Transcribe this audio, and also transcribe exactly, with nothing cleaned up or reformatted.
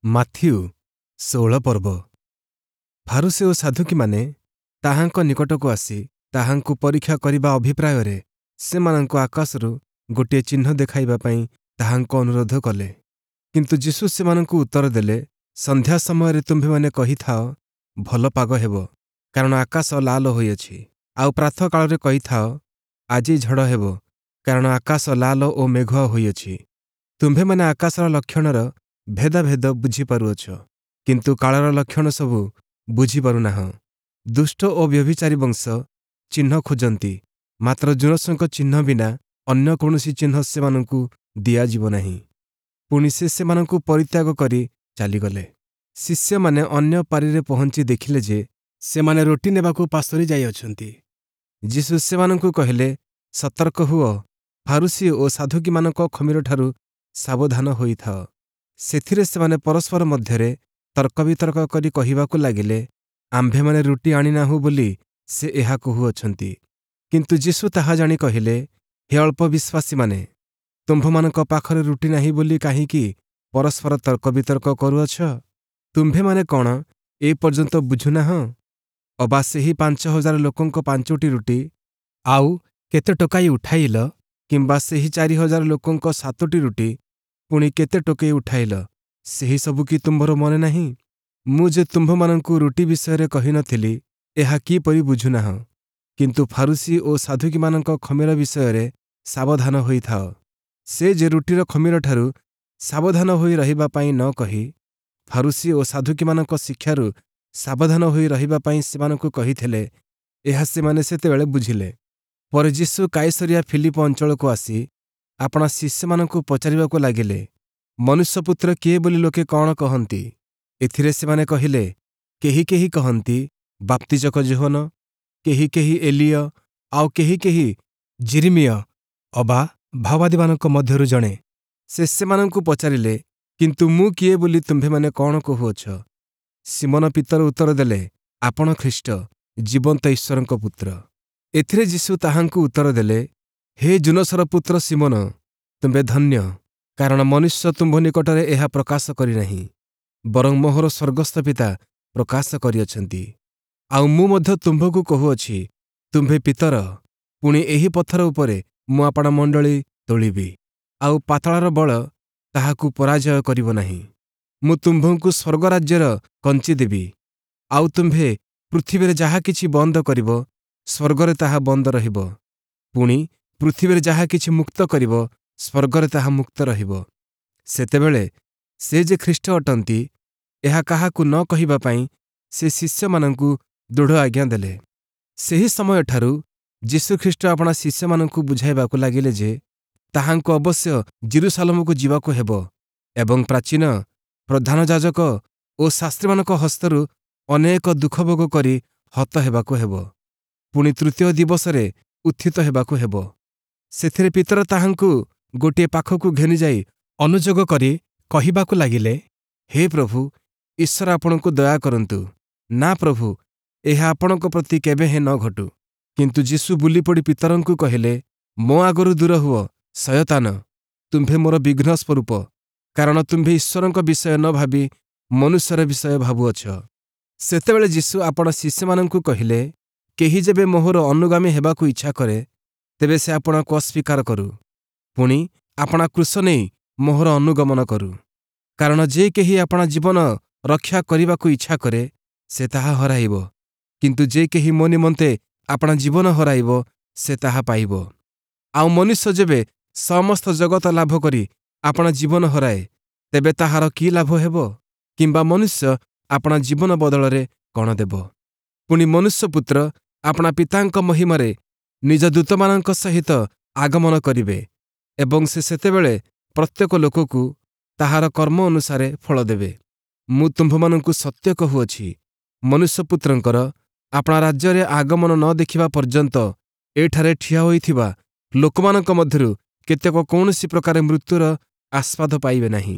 Matthew ଷୋହଳ ପର୍ବ ଫାରୂଶୀ ଓ ସାଦ୍ଦୂକୀମାନେ ତାହାଙ୍କ ନିକଟକୁ ଆସି ତାହାଙ୍କୁ ପରୀକ୍ଷା କରିବା ଅଭିପ୍ରାୟରେ ସେମାନଙ୍କୁ ଆକାଶରୁ ଗୋଟିଏ ଚିହ୍ନ ଦେଖାଇବା ପାଇଁ ତାହାଙ୍କୁ ଅନୁରୋଧ କଲେ। କିନ୍ତୁ ଯୀଶୁ ସେମାନଙ୍କୁ ଉତ୍ତର ଦେଲେ, ସନ୍ଧ୍ୟା ସମୟରେ ତୁମ୍ଭେମାନେ କହିଥାଅ, ଭଲ ପାଗ ହେବ, କାରଣ ଆକାଶ ଲାଲ ହୋଇଅଛି। ଆଉ ପ୍ରାତଃକାଳରେ କହିଥାଅ, ଆଜି ଝଡ଼ ହେବ, କାରଣ ଆକାଶ ଲାଲ ଓ ମେଘୁଆ ହୋଇଅଛି। ତୁମ୍ଭେମାନେ ଆକାଶର ଲକ୍ଷଣର ଭେଦାଭେଦ ବୁଝିପାରୁଅଛ, କିନ୍ତୁ କାଳର ଲକ୍ଷଣ ସବୁ ବୁଝିପାରୁନାହଁ। ଦୁଷ୍ଟ ଓ ବ୍ୟଭିଚାରୀ ବଂଶ ଚିହ୍ନ ଖୋଜନ୍ତି, ମାତ୍ର ଯୋନସଙ୍କ ଚିହ୍ନ ବିନା ଅନ୍ୟ କୌଣସି ଚିହ୍ନ ସେମାନଙ୍କୁ ଦିଆଯିବ ନାହିଁ। ପୁଣି ସେ ସେମାନଙ୍କୁ ପରିତ୍ୟାଗ କରି ଚାଲିଗଲେ। ଶିଷ୍ୟମାନେ ଅନ୍ୟ ପାରିରେ ପହଞ୍ଚି ଦେଖିଲେ ଯେ ସେମାନେ ରୋଟି ନେବାକୁ ପାସୋରି ଯାଇଅଛନ୍ତି। ଯୀଶୁ ସେମାନଙ୍କୁ କହିଲେ, ସତର୍କ ହୁଅ, ଫାରୂଶୀ ଓ ସାଦ୍ଦୂକୀମାନଙ୍କ ଖମୀରଠାରୁ ସାବଧାନ ହୋଇଥାଅ। ସେଥିରେ ସେମାନେ ପରସ୍ପର ମଧ୍ୟରେ ତର୍କବିତର୍କ କରି କହିବାକୁ ଲାଗିଲେ, ଆମ୍ଭେମାନେ ରୁଟି ଆଣିନାହୁଁ ବୋଲି ସେ ଏହା କହୁଅଛନ୍ତି। କିନ୍ତୁ ଯୀଶୁ ତାହା ଜାଣି କହିଲେ, ହେ ଅଳ୍ପ ବିଶ୍ୱାସୀମାନେ, ତୁମ୍ଭମାନଙ୍କ ପାଖରେ ରୁଟି ନାହିଁ ବୋଲି କାହିଁକି ପରସ୍ପର ତର୍କବିତର୍କ କରୁଅଛ? ତୁମ୍ଭେମାନେ କ'ଣ ଏ ପର୍ଯ୍ୟନ୍ତ ବୁଝୁନାହଁ? ଅବା ସେହି ପାଞ୍ଚ ହଜାର ଲୋକଙ୍କ ପାଞ୍ଚୋଟି ରୁଟି ଆଉ କେତେ ଟୋକାଇ ଉଠାଇଲ? କିମ୍ବା ସେହି ଚାରି ହଜାର ଲୋକଙ୍କ ସାତୋଟି ରୁଟି ପୁଣି କେତେ ଟୋକେଇ ଉଠାଇଲ? ସେହି ସବୁ କି ତୁମ୍ଭର ମନେ ନାହିଁ? ମୁଁ ଯେ ତୁମ୍ଭମାନଙ୍କୁ ରୁଟି ବିଷୟରେ କହିନଥିଲି, ଏହା କିପରି ବୁଝୁନାହଁ? କିନ୍ତୁ ଫାରୂଶୀ ଓ ସାଦ୍ଦୂକୀମାନଙ୍କ ଖମୀର ବିଷୟରେ ସାବଧାନ ହୋଇଥାଅ। ସେ ଯେ ରୁଟିର ଖମୀରଠାରୁ ସାବଧାନ ହୋଇ ରହିବା ପାଇଁ ନ କହି ଫାରୂଶୀ ଓ ସାଦ୍ଦୂକୀମାନଙ୍କ ଶିକ୍ଷାରୁ ସାବଧାନ ହୋଇ ରହିବା ପାଇଁ ସେମାନଙ୍କୁ କହିଥିଲେ, ଏହା ସେମାନେ ସେତେବେଳେ ବୁଝିଲେ। ପରେ ଯୀଶୁ କାଇସରିଆ ଫିଲିପ ଅଞ୍ଚଳକୁ ଆସି ଆପଣା ଶିଷ୍ୟମାନଙ୍କୁ ପଚାରିବାକୁ ଲାଗିଲେ, ମନୁଷ୍ୟପୁତ୍ର କିଏ ବୋଲି ଲୋକେ କ'ଣ କହନ୍ତି? ଏଥିରେ ସେମାନେ କହିଲେ, କେହି କେହି କହନ୍ତି ବାପ୍ତିଜକ ଯୋହନ, କେହି କେହି ଏଲିୟ, ଆଉ କେହି କେହି ଯିରିମିୟ ଅବା ଭାବବାଦୀମାନଙ୍କ ମଧ୍ୟରୁ ଜଣେ। ସେ ସେମାନଙ୍କୁ ପଚାରିଲେ, କିନ୍ତୁ ମୁଁ କିଏ ବୋଲି ତୁମ୍ଭେମାନେ କ'ଣ କହୁଅଛ? ଶିମୋନ ପିତର ଉତ୍ତର ଦେଲେ, ଆପଣ ଖ୍ରୀଷ୍ଟ, ଜୀବନ୍ତ ଈଶ୍ୱରଙ୍କ ପୁତ୍ର। ଏଥିରେ ଯୀଶୁ ତାହାଙ୍କୁ ଉତ୍ତର ଦେଲେ, ହେ ଯୂନସର ପୁତ୍ର ଶିମୋନ, ତୁମ୍ଭେ ଧନ୍ୟ, କାରଣ ମନୁଷ୍ୟ ତୁମ୍ଭ ନିକଟରେ ଏହା ପ୍ରକାଶ କରିନାହିଁ, ବରଂ ମୋହର ସ୍ୱର୍ଗସ୍ଥ ପିତା ପ୍ରକାଶ କରିଅଛନ୍ତି। ଆଉ ମୁଁ ମଧ୍ୟ ତୁମ୍ଭକୁ କହୁଅଛି, ତୁମ୍ଭେ ପିତର, ପୁଣି ଏହି ପଥର ଉପରେ ମୁଁ ଆପଣା ମଣ୍ଡଳୀ ତୋଳିବି, ଆଉ ପାତାଳର ବଳ ତାହାକୁ ପରାଜୟ କରିବ ନାହିଁ। ମୁଁ ତୁମ୍ଭଙ୍କୁ ସ୍ୱର୍ଗରାଜ୍ୟର କଞ୍ଚି ଦେବି, ଆଉ ତୁମ୍ଭେ ପୃଥିବୀରେ ଯାହା କିଛି ବନ୍ଦ କରିବ, ସ୍ୱର୍ଗରେ ତାହା ବନ୍ଦ ରହିବ, ପୁଣି ପୃଥିବୀରେ ଯାହା କିଛି ମୁକ୍ତ କରିବ, ସ୍ୱର୍ଗରେ ତାହା ମୁକ୍ତ ରହିବ। ସେତେବେଳେ ସେ ଯେ ଖ୍ରୀଷ୍ଟ ଅଟନ୍ତି, ଏହା କାହାକୁ ନ କହିବା ପାଇଁ ସେ ଶିଷ୍ୟମାନଙ୍କୁ ଦୃଢ଼ ଆଜ୍ଞା ଦେଲେ। ସେହି ସମୟଠାରୁ ଯୀଶୁଖ୍ରୀଷ୍ଟ ଆପଣା ଶିଷ୍ୟମାନଙ୍କୁ ବୁଝାଇବାକୁ ଲାଗିଲେ ଯେ ତାହାଙ୍କୁ ଅବଶ୍ୟ ଯିରୂଶାଲମକୁ ଯିବାକୁ ହେବ ଏବଂ ପ୍ରାଚୀନ, ପ୍ରଧାନ ଯାଜକ ଓ ଶାସ୍ତ୍ରୀମାନଙ୍କ ହସ୍ତରୁ ଅନେକ ଦୁଃଖଭୋଗ କରି ହତ ହେବାକୁ ହେବ, ପୁଣି ତୃତୀୟ ଦିବସରେ ଉତ୍ଥିତ ହେବାକୁ ହେବ। ସେଥିରେ ପିତର ତାହାଙ୍କୁ ଗୋଟିଏ ପାଖକୁ ଘେନିଯାଇ ଅନୁଯୋଗ କରି କହିବାକୁ ଲାଗିଲେ, ହେ ପ୍ରଭୁ, ଈଶ୍ୱର ଆପଣଙ୍କୁ ଦୟା କରନ୍ତୁ। ନା ପ୍ରଭୁ, ଏହା ଆପଣଙ୍କ ପ୍ରତି କେବେ ହେଁ ନ ଘଟୁ। କିନ୍ତୁ ଯୀଶୁ ବୁଲିପଡ଼ି ପିତରଙ୍କୁ କହିଲେ, ମୋ ଆଗରୁ ଦୂର ହୁଅ, ଶୟତାନ, ତୁମ୍ଭେ ମୋର ବିଘ୍ନ ସ୍ୱରୂପ, କାରଣ ତୁମ୍ଭେ ଈଶ୍ୱରଙ୍କ ବିଷୟ ନ ଭାବି ମନୁଷ୍ୟର ବିଷୟ ଭାବୁଅଛ। ସେତେବେଳେ ଯୀଶୁ ଆପଣା ଶିଷ୍ୟମାନଙ୍କୁ କହିଲେ, କେହି ଯେବେ ମୋହର ଅନୁଗାମୀ ହେବାକୁ ଇଚ୍ଛା କରେ, ତେବେ ସେ ଆପଣାକୁ ଅସ୍ୱୀକାର କରୁ, ପୁଣି ଆପଣା କ୍ରୁଶ ନେଇ ମୋହର ଅନୁଗମନ କରୁ। କାରଣ ଯେ କେହି ଆପଣା ଜୀବନ ରକ୍ଷା କରିବାକୁ ଇଚ୍ଛା କରେ, ସେ ତାହା ହରାଇବ, କିନ୍ତୁ ଯେ କେହି ମୋ ନିମନ୍ତେ ଆପଣା ଜୀବନ ହରାଇବ, ସେ ତାହା ପାଇବ। ଆଉ ମନୁଷ୍ୟ ଯେବେ ସମସ୍ତ ଜଗତ ଲାଭ କରି ଆପଣା ଜୀବନ ହରାଏ, ତେବେ ତାହାର କି ଲାଭ ହେବ? କିମ୍ବା ମନୁଷ୍ୟ ଆପଣା ଜୀବନ ବଦଳରେ କ'ଣ ଦେବ? ପୁଣି ମନୁଷ୍ୟପୁତ୍ର ଆପଣା ପିତାଙ୍କ ମହିମାରେ ନିଜ ଦୂତମାନଙ୍କ ସହିତ ଆଗମନ କରିବେ ଏବଂ ସେ ସେତେବେଳେ ପ୍ରତ୍ୟେକ ଲୋକକୁ ତାହାର କର୍ମ ଅନୁସାରେ ଫଳ ଦେବେ। ମୁଁ ତୁମ୍ଭମାନଙ୍କୁ ସତ୍ୟ କହୁଅଛି, ମନୁଷ୍ୟପୁତ୍ରଙ୍କର ଆପଣା ରାଜ୍ୟରେ ଆଗମନ ନ ଦେଖିବା ପର୍ଯ୍ୟନ୍ତ ଏଠାରେ ଠିଆ ହୋଇଥିବା ଲୋକମାନଙ୍କ ମଧ୍ୟରୁ କେତେକ କୌଣସି ପ୍ରକାରେ ମୃତ୍ୟୁର ଆସ୍ୱାଦ ପାଇବେ ନାହିଁ।